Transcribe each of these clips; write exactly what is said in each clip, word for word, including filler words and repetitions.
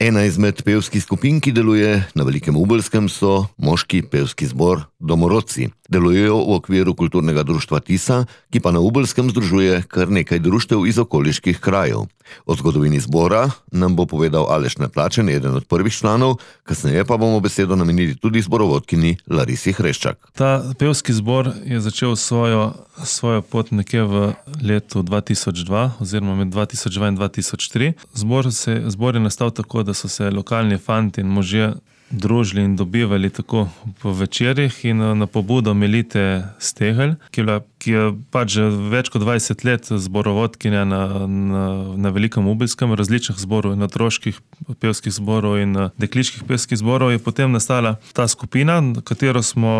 Ena izmed pevskih skupin, ki deluje na Velikem Ubelskem, so moški pevski zbor Domorodci. Delujejo v okviru kulturnega društva Tisa, ki pa na Ubelskem združuje kar nekaj društev iz okoliških krajev. O zgodovini zbora nam bo povedal Aleš Natlačen, eden od prvih članov, kasneje pa bomo besedo namenili tudi zborovodkinji Larisi Hreščak. Ta pevski zbor je začel svojo, svojo pot nekje v letu dva tisoč dva oziroma med dva tisoč dva in dva tisoč tri. Zbor, se, zbor je nastal tako, da so se lokalni fanti in možje družili in dobivali tako po večerjih in na pobudo Melite Stegelj, ki je, bila, ki je pač že več kot dvajset let zborovodkinja na, na, na Velikem Ubelskem, različnih zborov, in otroških pevskih zborov in dekliških pevskih zborov, je potem nastala ta skupina, katero smo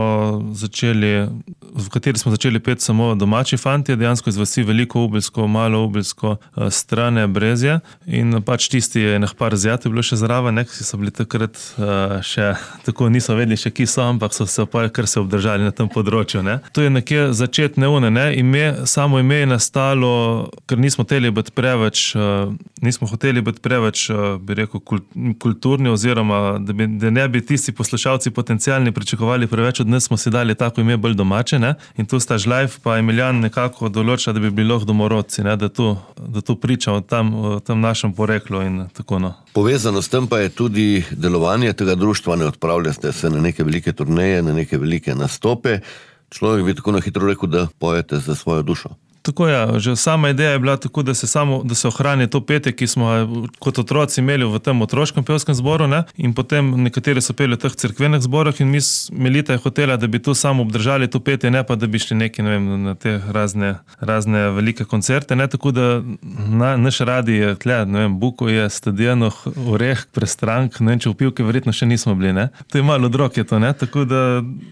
začeli, v kateri smo začeli peti samo domači fantje, dejansko iz vasi Veliko Ubelsko, Malo Ubelsko, Strane, Brezje, in pač tisti je ene par zjate bilo še zraven, ki so bili takrat še tako, niso vedeli še, ki so, ampak so se pa kar se obdržali na tem področju. Ne. To je nekje začetne une, ne. Ime, samo ime je nastalo, ker nismo hoteli biti preveč, nismo hoteli biti preveč, bi rekel, kulturni, oziroma da, bi, da ne bi tisti poslušalci potencialni pričakovali preveč od nas, smo si dali tako ime bolj domače, ne. In tu sta Žlajf pa Emilijan nekako določila, da bi bili lahko Domorodci, ne, da tu, da tu priča o tam, o tem našem poreklu in tako no. Povezano s tem pa je tudi delovanje tega društva, ne odpravljate se na neke velike turneje, na neke velike nastope. Človek bi tako na hitro rekel, da pojete za svojo dušo. Tako je, že sama ideja je bila tako, da se samo, da se ohrani to petje, ki smo kot otroci imeli v tem otroškem pevskem zboru, ne? In potem nekateri so peli v teh cerkvenih zborah in mi, Melita je hotela, da bi tu samo obdržali to petje, ne pa da bi šli neki, ne vem, na te razne, razne velike koncerte, ne? Tako da na, naš radi je tle, ne vem, Buko je, Stadionu, Oreh, Prestrank, ne vem, če v Pivke verjetno še nismo bili, ne? To je malo drog je to, ne? Tako da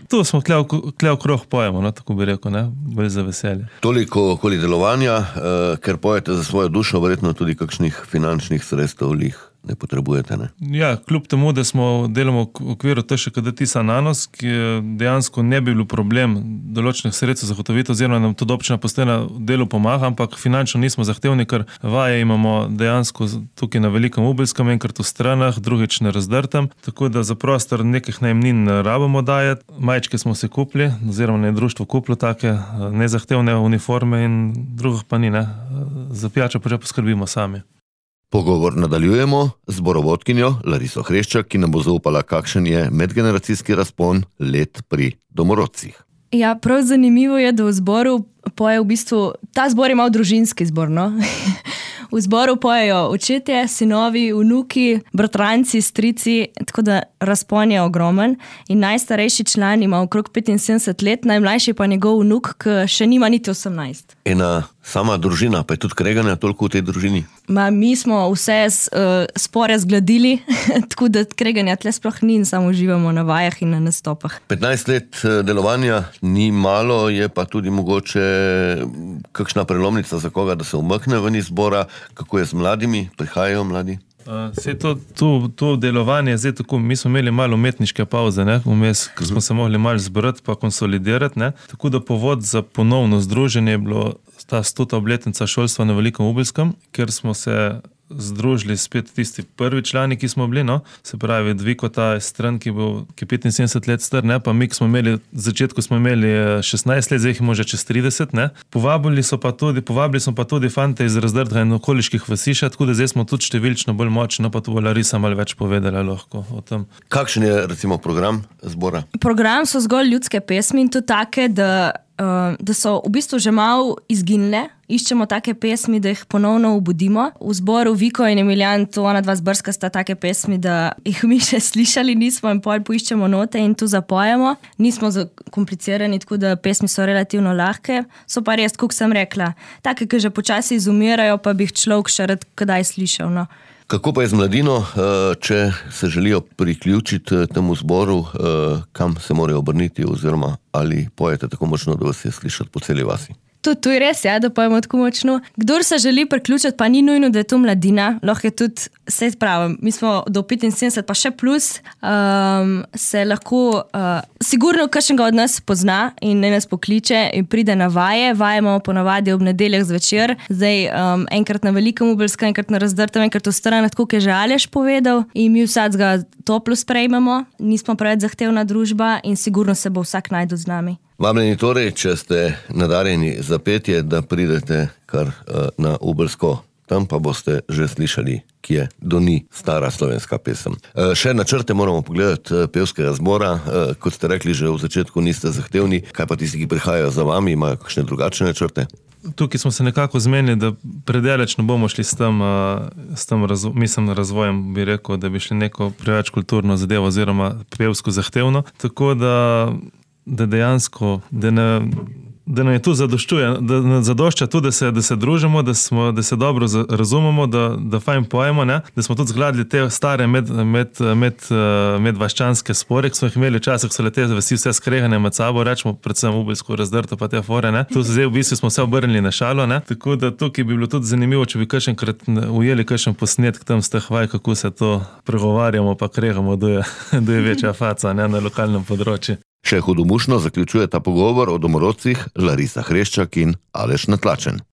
tu smo tle v krog pojemo, no? Tako bi rekel, ne? Bolj za veselje. Toliko okoli delovanja, eh, ker pojete za svojo dušo, verjetno tudi kakšnih finančnih sredstev lih ne potrebujete, ne? Ja, kljub temu, da smo delamo v okviru T Š K D Tisa Nanos, ki dejansko ne bi bil problem določenih sredstev zagotoviti, oziroma nam tudi občina Postojna delu pomaga, ampak finančno nismo zahtevni, ker vaje imamo dejansko tukaj na Velikem Ubelskem, enkrat v Stranah, drugič na Razdrtem, tako da za prostor nekih najemnin ne rabimo dajati. Majčke smo se kupili, oziroma ne društvo kupilo take nezahtevne uniforme in drugih pa ni, ne. Za pijačo pa že poskrbimo sami. Pogovor nadaljujemo z zborovodkinjo Lariso Hreščak, ki nam bo zaupala, kakšen je medgeneracijski razpon let pri Domorodcih. Ja, prav zanimivo je, da v zboru poje v bistvu, ta zbor je malo družinski zbor, no? V zboru pojejo očetje, sinovi, vnuki, bratranci, strici, tako da razpon je ogromen. In najstarejši član ima okrog petinsedemdeset let, najmlajši pa njegov vnuk, ki še nima niti osemnajst. Ena sama družina, pa je tudi kreganja toliko v tej družini? Ma, mi smo vse uh, spore zgladili, tako da kreganja tle sploh ni in samo uživamo na vajah in na nastopah. petnajst let delovanja ni malo, je pa tudi mogoče kakšna prelomnica za koga, da se umakne ven iz zbora. Kako je z mladimi? Prihajajo mladi? Uh, to, to, to delovanje, zdaj tako, mi smo imeli malo umetniške pauze, ne, vmes, ker smo se mogli malo zbrati pa konsolidirati, ne, tako da povod za ponovno združenje je bilo ta stota obletnica šolstva na Velikem Ubelskem, ker smo se združili spet tisti prvi člani, ki smo bili, no, se pravi Dviko, ta stran, ki bo ki petinsedemdeset let star, ne, pa mi, ki smo imeli, v začetku smo imeli šestnajst let, zdaj jih imamo že čez trideset, ne. Povabili so pa tudi, povabili smo pa tudi fante iz Razdrtega in okoliških vasiša, tako da zdaj smo tudi številčno bolj močni, no, pa tu bo Larisa malo več povedala lahko o tem. Kakšen je recimo program zbora? Program so zgolj ljudske pesmi in to take, da Uh, da so v bistvu že malo izginile. Iščemo take pesmi, da jih ponovno obudimo. V zboru Viko in Emilijan, to ona dva zbrska sta take pesmi, da jih mi še slišali nismo in pol poiščemo note in tu zapojemo. Nismo zakomplicirani, tako da pesmi so relativno lahke. So pa res, kot sem rekla, take, ki že počasi izumirajo, pa bi jih človek še rad kdaj slišal, no. Kako pa je z mladino, če se želijo priključiti temu zboru, kam se morajo obrniti oziroma ali pojete tako močno, da vas je slišati po celi vasi? To, to je res, ja, da pojemo tako močno. Kdor se želi priključiti, pa ni nujno, da je to mladina, lahko je tudi, se pravi, mi smo do petinsedemdeset pa še plus, um, se lahko, uh, sigurno kakšnega od nas pozna in ne nas pokliče in pride na vaje. Vaje imamo ponavadi ob nedeljah zvečer, zdaj um, enkrat na Velikem Ubelskem, enkrat na Razdrtem, enkrat v Stranah, tako je že Aleš povedal, in mi vsak ga toplo sprejmemo, nismo preveč zahtevna družba in sigurno se bo vsak najdel z nami. Vabljeni torej, če ste nadarjeni za petje, da pridete kar uh, na Ubelsko, tam pa boste že slišali, kje doni stara slovenska pesem. Uh, še načrte moramo pogledati uh, pevskega zbora, uh, kot ste rekli, že v začetku niste zahtevni, kaj pa tisti, ki prihajajo za vami, imajo kakšne drugačne načrte? Tukaj smo se nekako zmenili, da predaleč ne bomo šli s tem, s tem razvo, mislim, razvojem, bi rekel, da bi šli neko preveč kulturno zadevo oziroma pevsko zahtevno. Tako da, da dejansko, da ne, da nam je tu zadoščuje, da nam zadošča tu, da se, da se družimo, da, smo, da se dobro razumemo, da, da fajn pojemo, ne? Da smo tudi zgledali te stare med, med, med, medvaščanske spore, ki smo jih imeli včasih, so lete vsi vse skregane med sabo, rečemo predvsem Ubelsko, Razdrto pa te fore, ne? Tu zdaj v bistvu smo se obrnili na šalo, ne? Tako da tukaj bi bilo tudi zanimivo, če bi kakšenkrat ujeli kakšen posnetek tam z teh vaj, kako se to pregovarjamo pa kregamo, da je, da je večja faca, ne, na lokalnem področju. Še hudomušno zaključuje ta pogovor o domorodcih Larisa Hreščak in Aleš Natlačen.